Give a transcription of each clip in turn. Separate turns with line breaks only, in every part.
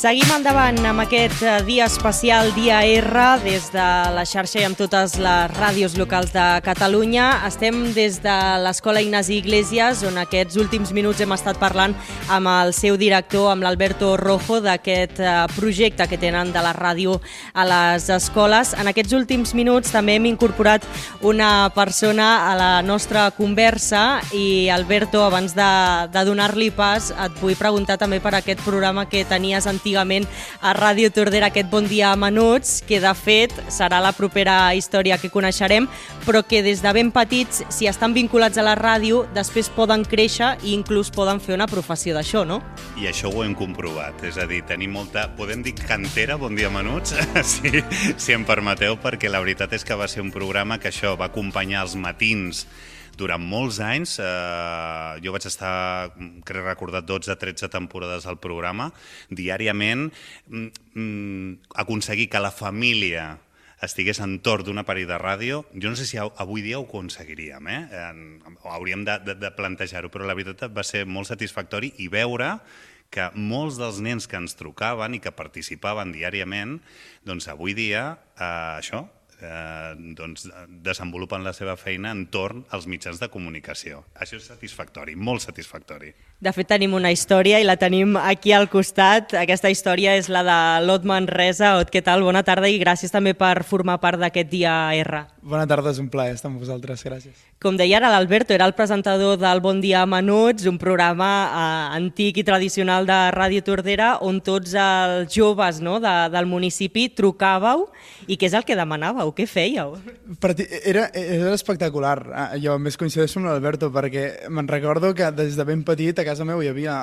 Seguim endavant amb aquest dia especial, Dia R, des de la xarxa i amb totes les ràdios locals de Catalunya. Estem des de l'Escola Ignasi Iglesias, on aquests últims minuts hem estat parlant amb el seu director, amb l'Alberto Rojo, d'aquest projecte que tenen de la ràdio a les escoles. En aquests últims minuts també hem incorporat una persona a la nostra conversa i, Alberto, abans de donar-li pas, et vull preguntar també per aquest programa que tenies antigament a Ràdio Tordera, aquest Bon Dia a Menuts, que de fet serà la propera història que coneixerem, però que des de ben petits, si estan vinculats a la ràdio, després poden créixer i inclús poden fer una professió d'això, no?
I això ho hem comprovat, és a dir, tenim molta, podem dir cantera, Bon Dia a Menuts, si em permeteu, perquè la veritat és que va ser un programa que això va acompanyar els matins durant molts anys. Jo vaig estar, crec recordar, 12-13 temporades al programa, diàriament, aconseguir que la família estigués entorn d'un aparell de ràdio. Jo no sé si avui dia ho aconseguiríem, hauríem de plantejar-ho, però la veritat va ser molt satisfactori i veure que molts dels nens que ens trucaven i que participaven diàriament, doncs avui dia això, desenvolupen la seva feina entorn als mitjans de comunicació. Això és satisfactori, molt satisfactori.
De fet, tenim una història i la tenim aquí al costat. Aquesta història és la de l'Ot Manresa. Ot, què tal? Bona tarda i gràcies també per formar part d'aquest Dia R.
Bona tarda, és un plaer estar amb vosaltres, gràcies.
Com deia ara l'Alberto, era el presentador del Bon Dia a Menuts, un programa antic i tradicional de Ràdio Tordera on tots els joves del municipi trucàveu i què és el que demanàveu? Què fèieu?
Era espectacular. Jo més coincideixo amb l'Alberto perquè me'n recordo que des de ben petit a casa meu hi havia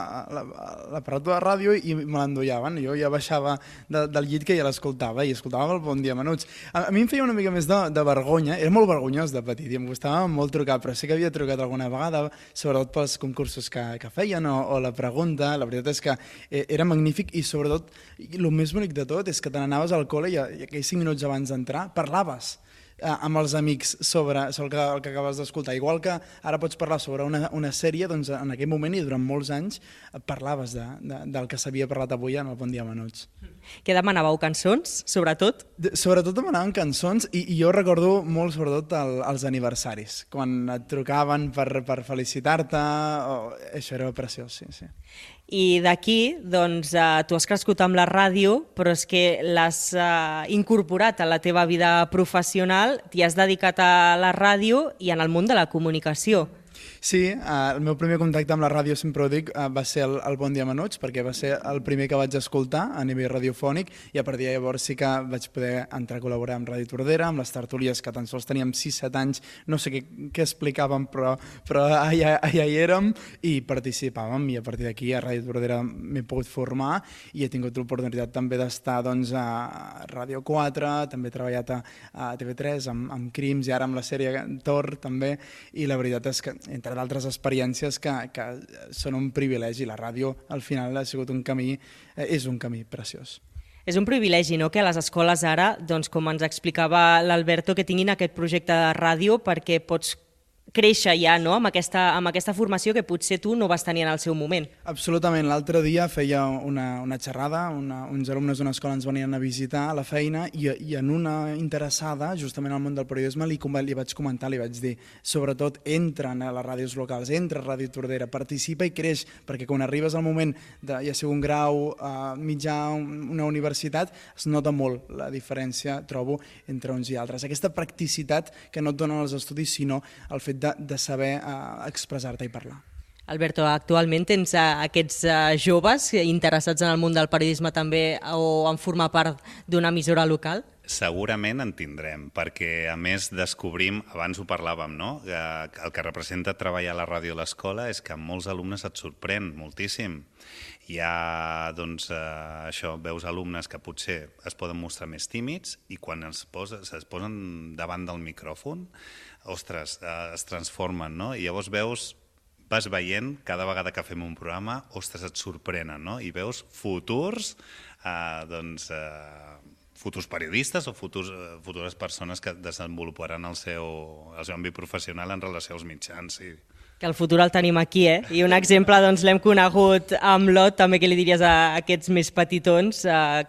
l'aparat de la ràdio i me l'endollaven. Jo ja baixava del llit que ja l'escoltava i escoltava el Bon Dia a Menuts. A mi em feia una mica més de vergonya, era molt vergonyós de petit i em gustava molt trucar, però sí que havia trucat alguna vegada, sobretot pels concursos que feien o la pregunta. La veritat és que era magnífic i sobretot el més bonic de tot és que te n'anaves al col·le i aquells 5 minuts abans d'entrar parlaves amb els amics sobre el que acabes d'escoltar. Igual que ara pots parlar sobre una sèrie, doncs en aquell moment i durant molts anys parlaves del que s'havia parlat avui en el Bon Dia a Menuts.
Què demanàveu? Cançons, sobretot?
Sobretot demanaven cançons i jo recordo molt sobretot els aniversaris, quan et trucaven per felicitar-te, això era preciós, sí.
I d'aquí, doncs, tu has crescut amb la ràdio, però és que l'has incorporat a la teva vida professional, t'hi has dedicat a la ràdio i en el món de la comunicació.
Sí, el meu primer contacte amb la ràdio, sempre ho dic, va ser el Bon Dia a Menuts, perquè va ser el primer que vaig escoltar a nivell radiofònic i a partir de llavors sí que vaig poder entrar a col·laborar amb Ràdio Tordera, amb les tertúlies que tan sols teníem 6-7 anys, no sé què explicàvem, però allà hi érem i participàvem i a partir d'aquí a Ràdio Tordera m'he pogut formar i he tingut l'oportunitat també d'estar a Ràdio 4, també he treballat a TV3 amb Crims i ara amb la sèrie Tor també, i la veritat és que entre d'altres experiències que són un privilegi. La ràdio al final ha sigut és un camí preciós.
És un privilegi, no?, que a les escoles ara, doncs, com ens explicava l'Alberto, que tinguin aquest projecte de ràdio perquè pots créixer ja, no?, amb aquesta formació que potser tu no vas tenir en el seu moment.
Absolutament. L'altre dia feia una xerrada, uns alumnes d'una escola ens venien a visitar a la feina i en una interessada, justament al món del periodisme, li vaig comentar, li vaig dir, sobretot entren a les ràdios locals, entra a Ràdio Tordera, participa i creix, perquè quan arribes al moment de ja sigui un grau mitjà, una universitat, es nota molt la diferència, trobo, entre uns i altres. Aquesta practicitat que no et donen els estudis, sinó el fet de saber expressar-te i parlar.
Alberto, actualment tens aquests joves interessats en el món del periodisme també o en formar part d'una emissora local?
Segurament en tindrem, perquè a més descobrim, abans ho parlàvem, no?, que el que representa treballar a la ràdio a l'escola és que molts alumnes et sorprèn moltíssim. Hi ha, doncs, això, veus alumnes que potser es poden mostrar més tímids i quan es posen davant del micròfon, ostres, es transformen, no? I llavors vas veient, cada vegada que fem un programa, ostres, et sorprenen, no? I veus futurs, futurs periodistes o futures persones que desenvoluparan el seu àmbit professional en relació als mitjans, sí.
Que el futur el tenim aquí, I un exemple doncs, l'hem conegut amb l'Ot, també què li diries a aquests més petitons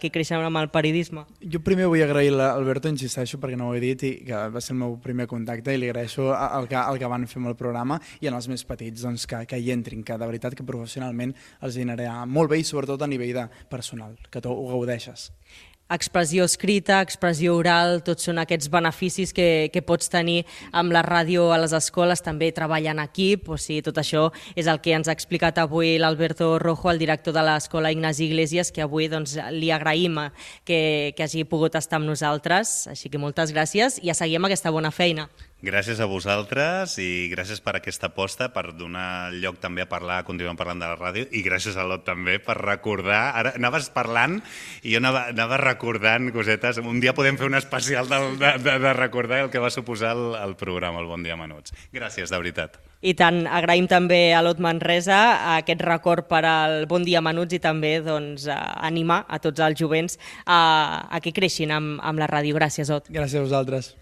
que creixen amb el periodisme?
Jo primer vull agrair a l'Alberto, insisteixo, perquè no ho he dit, i que va ser el meu primer contacte, i li agraeixo el que van fer amb el programa, i en els més petits doncs, que hi entrin, que de veritat que professionalment els anirà molt bé, i sobretot a nivell de personal, que tu ho gaudeixes.
Expressió escrita, expressió oral, tots són aquests beneficis que pots tenir amb la ràdio a les escoles, també treball en equip, o sigui, tot això és el que ens ha explicat avui l'Alberto Rojo, el director de l'Escola Ignasi Iglesias, que avui doncs, li agraïm que hagi pogut estar amb nosaltres, així que moltes gràcies i a seguir amb aquesta bona feina.
Gràcies a vosaltres i gràcies per aquesta aposta, per donar lloc també a parlar, continuem parlant de la ràdio, i gràcies a l'Ot també per recordar, ara anaves parlant i jo anava recordant cosetes, un dia podem fer un especial de recordar el que va suposar el programa, el Bon Dia Menuts. Gràcies, de veritat.
I tant, agraïm també a l'Ot Manresa aquest record per al Bon Dia Menuts i també doncs, animar a tots els jovents a que creixin amb la ràdio. Gràcies, Ot.
Gràcies a vosaltres.